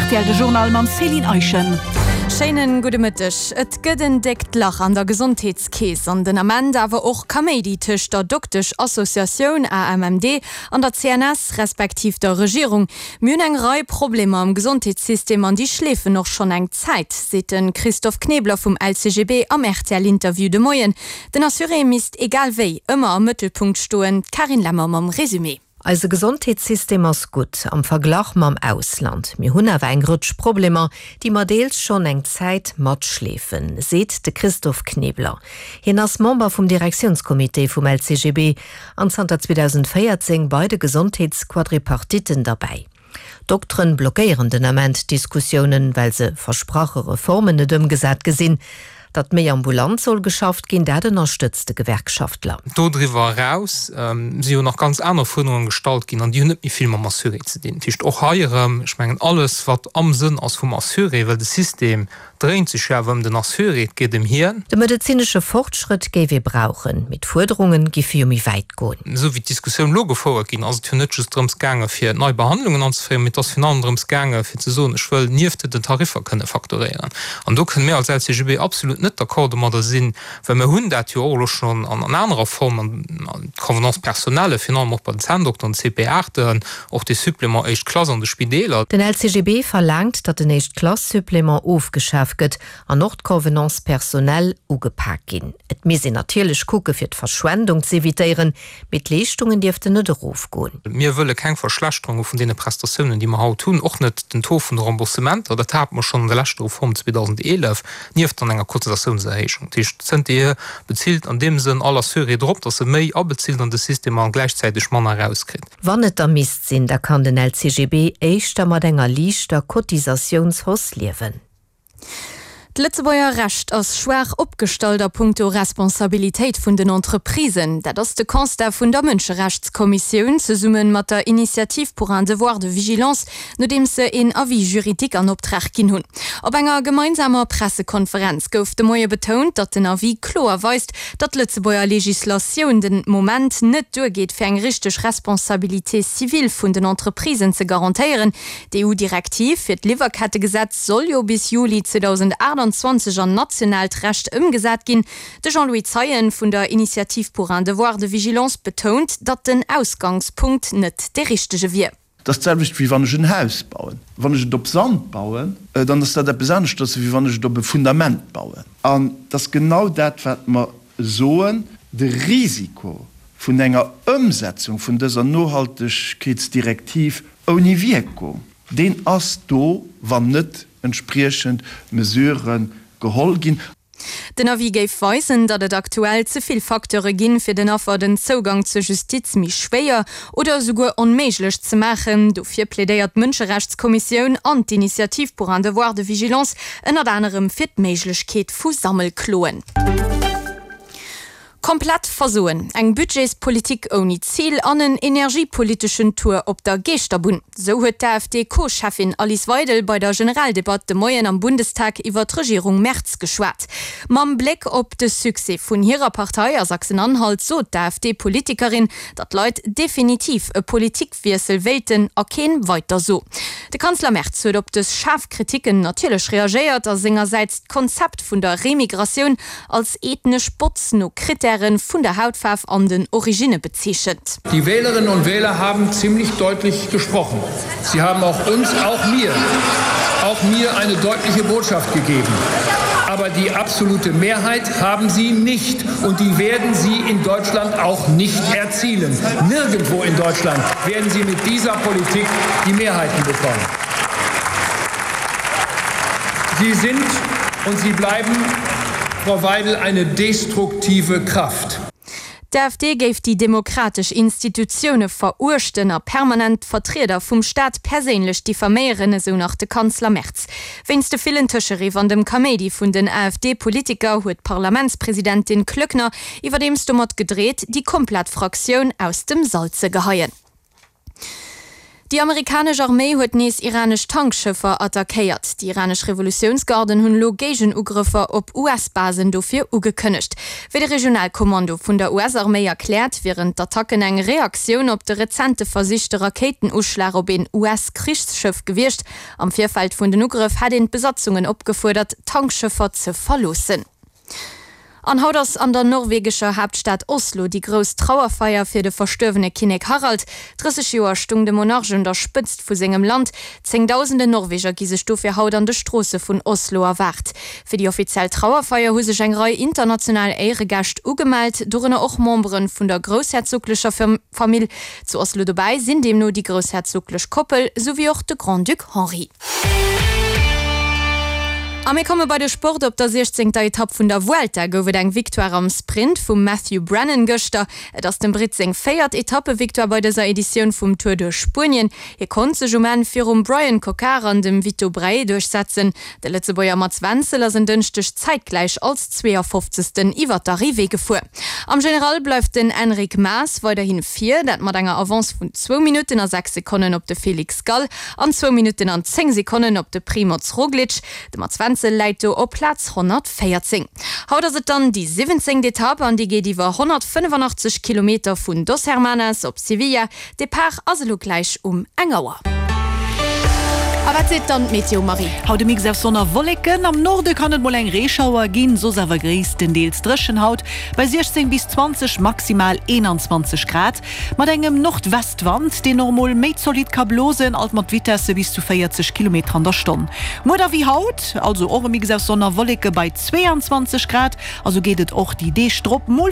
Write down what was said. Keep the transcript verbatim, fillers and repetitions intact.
Rtl de Journal mam Céline Eischen. Schéinen gudde Mëtteg. Et gëtt en déckt Lach an der Gesondheetskeess an den Ament awer och Kaméidi tëscht der Dokteschassociatioun AMMD an der C N S respektiv der Regierung. Mir hunn eng Rei Problemer am Gesondheetssystem an déi schleefen och schonn eng Zäit, seet de Christophe Knebler vum L C G B am R T L-Interview de Moien. Den Assuré misst egal wéi ëmmer am Mëttelpunkt stoen. D'Carine Lemmer mam Resumé. Eise Gesondheetssystem ass gutt am Verglach mam Ausland. Mir hunn awer eng Rëtsch Problemer, déi mer deels schonn eng Zäit matschleefen, seet de Christophe Knebler. Hien ass Member vum Direktiounscomité vum L C G B an zanter zweedausendvéierzéng bei de Gesondheetsquadripartitten derbäi. Dokteren blockéieren den Ament Diskussiounen, well se versprache Reformen net ëmgesat gesinn. Datt méi ambulant soll geschafft ginn, dat ënnerstëtzt de Gewerkschaftler. Dodriwwer eraus ähm, si jo nach ganz aner Fuerderunge gestallt ginn an déi hunn net méi vill mam Assuré ze dinn. Dat heescht och hei erëm, ech mengen alles wat am Sënn ass vum Assuré, well de System dréint sech jo awer ëm den Assuré, et geet ëm hien. De medezinesche Fortschrëtt géif ee brauchen, mee d'Fuerderunge géife jo méi wäit goen. Esou wéi d'Diskussioun elo gefouert ginn ass, et jo net just drëms gaange fir nei Behandlungen anzeféieren, mee et ass virun allem drëms gaange fir ze soen, ech wëll nieft den Tariffer kënne fakturéieren. An do kënne mir als L C G B absolut net d'accord domadder sinn, well mir hunn dat jo och elo schonn an anerer Form, an d'Convenance personnelle, virun allem och bei den Zänndokteren, C P aachten, och de Supplément éischt Klass an de Spideeler. Den L C G B verlaangt, datt den Éischt-Klass-Supplément ofgeschaf gëtt an och d'Convenance personnelle ugepak ginn. Et misst een natierlech kucke fir d'Verschwendung z'evitéieren, mee d'Leeschtungen dierften net erofgoen. Mir wëlle keng Verschlechterunge vun deene Prestatiounen, déi mer haut hunn, och net den Taux vun de Remboursementer, dat hate mer schonn an der leschter Reform zweedausendeelef, nieft dann enger Cotisatiounserhéijung. Dat heescht, zënterhier bezilt an deem Sënn all Assuré drop, datt e méi abezilt an de System a gläichzäiteg manner erauskritt. Wann et da misst sinn, da kann den L C G B éischter mat enger liichter Cotisatiounshausse liewen. D'Lëtzebuerger Recht ass schwaach opgestallt a punkto Responsabilitéit vun den Entreprisen. Dat ass de Constat vun der Mënscherechtskommissioun zesumme mat der Initiative pour un devoir de vigilance, nodeems se een Avis juridique an Optrag ginn hunn. Op enger gemeinsamer Pressekonferenz gouf de Moie betount, datt den Avis kloer weist, datt d'Lëtzebuerger Legislatioun den Moment net duergeet fir eng richteg Responsabilité civile vun den Entreprisen ze garantéieren. D'E U-Direktiv fir d'Liwwerkettegesetz soll jo bis Juli zweedausendaachtenzwanzeg an nationaalt Recht ëmgesat ginn. De Jean-Louis Zeien vun der Initiative pour un devoir de vigilance betount, datt den Ausgangspunkt net de richtege wier. Dat ass d'selwecht wéi wann ech en Haus bauen. Wann ech et op Sand bauen, dann ass dat eppes aneschters wéi wann ech et op e Fundament bauen. An dat ass genau dat wat mer soen, de Risiko vun enger Ëmsetzung vun dëser Nohaltegkeetsdirektiv ouni Wierkung, deen ass do, wann net entspriechend Mesurë geholl ginn. Den Avis géif weisen, datt et aktuell ze vill Facteure ginn, fir den Affer den Zougang zur Justiz méi schwéier oder esouguer onméiglech ze maachen. Dofir plädéiert d'Mënscherechtskommissioun an d'Initiative pour un devoir de vigilance ënnert anerem fir d'Méiglechkeet vu Sammelkloen. Komplett Versoen, eng Budgetspolitik ouni Zil an en energiepoliteschen Tour op der Geeschterbunn. Sou huet d'A F D-Co-Cheffin Alice Weidel bei der Generaldebatt de Moien am Bundestag iwwer d'Regierung Merz geschwat. Mam Bléck op de Succès vun hirer Partei a Sachsen-Anhalt sot d'A F D-Politikerin, datt d'Leit definitiv e Politikwiessel wéilten a keen Weider sou. De Kanzler Merz huet op dës schaarf Kriticken natierlech reagéiert a sengersäits d'Konzept vun der Remigratioun als ethnesch Botz no Krittäre vun der Hautfaarf an den Originne bezeechent. Die Wählerinnen und Wähler haben ziemlich deutlich gesprochen. Sie haben auch uns, auch mir, auch mir eine deutliche Botschaft gegeben. Aber die absolute Mehrheit haben sie nicht und die werden sie in Deutschland auch nicht erzielen. Nirgendwo in Deutschland werden sie mit dieser Politik die Mehrheiten bekommen. Sie sind und sie bleiben, Frau Weidel, eine destruktive Kraft. D'A F D géif déi demokratesch Institutioune veruechten a permanent Vertrieder vum Staat perséinlech diffaméieren, esou nach de Kanzler Merz. Wéinst de villen Tëscheriff an dem Kaméidi vun den A F D-Politiker huet d'Parlamentspresidentin Klöckner iwwerdeems domat gedreet, déi komplett Fraktioun aus dem Sall ze geheien. Déi amerikanesch Arméi huet nees iranesch Tankschëffer attackéiert. Déi iranesch Revolutiounsgarden hunn elo Géigenugrëffer op US-Basen dofir ugekënnegt. Wéi de Regionalkommando vun der US-Arméi erkläert, wieren d'Attacken eng Reaktioun op de rezente versichte Rakéitenuschlag op een US-Krichsschëff gewiescht. Am Virfeld vun den Ugrëff hätt een d'Besatzungen opgefuerdert, d'Tankschëffer ze verloossen. An haut ass an der norwegescher Haaptstad Oslo déi grouss Trauerfeier fir de verstuerwene Kinnek Harald. Drësseg Joer stung de Monarch un der Spëtzt vu sengem Land. Zéngdausende Norweger gi sech dofir haut an de Stroosse vun Oslo erwaart. Fir déi offiziell Trauerfeier hu sech eng Rei international Éieregäscht ugemellt, dorënner och Membere vun der groussherzoglecher Famill. Zu Oslo dobäi sinn deemno déi groussherzoglech Koppel, souwéi och de Grand-Duc Henri. A mir komme bei de Sport, Op der siechzéngter Etapp vun der Vuelta gouf et eng Victoire am Sprint vum Matthew Brennan gëschter. Et ass dem Britt seng véiert Etappevictoire bei dëser Editioun vum Tour duerch Spuenien. Hie konnt sech um Enn virum Bryan Coquard an dem Vito Braet duerchsetzen. De Lëtzebuerger Mats Wenzel ass en Dënschdeg zäitgläich als zweeënfofzegsten iwwer d'Arrivée gefuer. Am General bleift den Enric Mas weiderhi vir, dat mat enger Avance vun zwou Minutten a sechs Sekonnen op de Felix Gall an zwou Minutten an zéng Sekonnen op de Primoz Roglic. De Mats Wenzel läit do op Plaz honnertvéierzéng. Haut ass et dann déi siwwenzéngt Etapp an déi geet iwwer honnertfënnefanachtzesch Kilometer vun Dos Hermanas op Sevilla. Depart ass elo gläich um eng Auer. A wat seet dann d'Meteo, Marie? Haut e Mix aus Sonn a Wolleken. Am Norde kann et mol eng Reeschauer ginn, soss awer gréisstendeels dréchen haut bei siechzéng bis zwanzeg, maximal eenanzwanzeg Grad. Mat engem Nordwestwand, deen och mol méi zolidd ka blosen, alt mat Vitesse bis zu véierzeg Kilometer an der Stonn. Muer da wéi haut, also och e Mix aus Sonn a Wolleke bei zweeanzwanzeg Grad, a sou geet et och déi Deeg drop mol.